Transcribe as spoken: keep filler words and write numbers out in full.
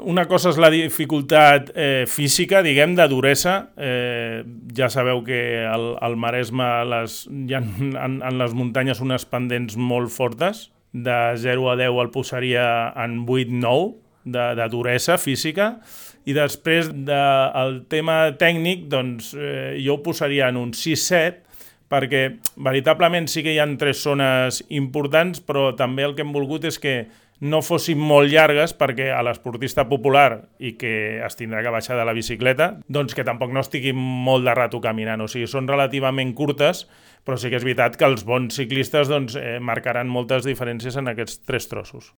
Una cosa és la dificultat eh, física, diguem, de duresa. Eh, ja sabeu que al, al Maresme les, hi ha en, en les muntanyes unes pendents molt fortes. De zero a deu el posaria en vuit nou de, de duresa física. I després del tema tècnic, doncs, eh, jo ho posaria en un sis set, perquè veritablement sí que hi ha tres zones importants, però també el que hem volgut és que no fossin molt llargues, perquè a l'esportista popular i que es tindrà que baixar de la bicicleta, doncs que tampoc no estigui molt de rato caminant. O sigui, són relativament curtes, però sí que és veritat que els bons ciclistes doncs, eh, marcaran moltes diferències en aquests tres trossos.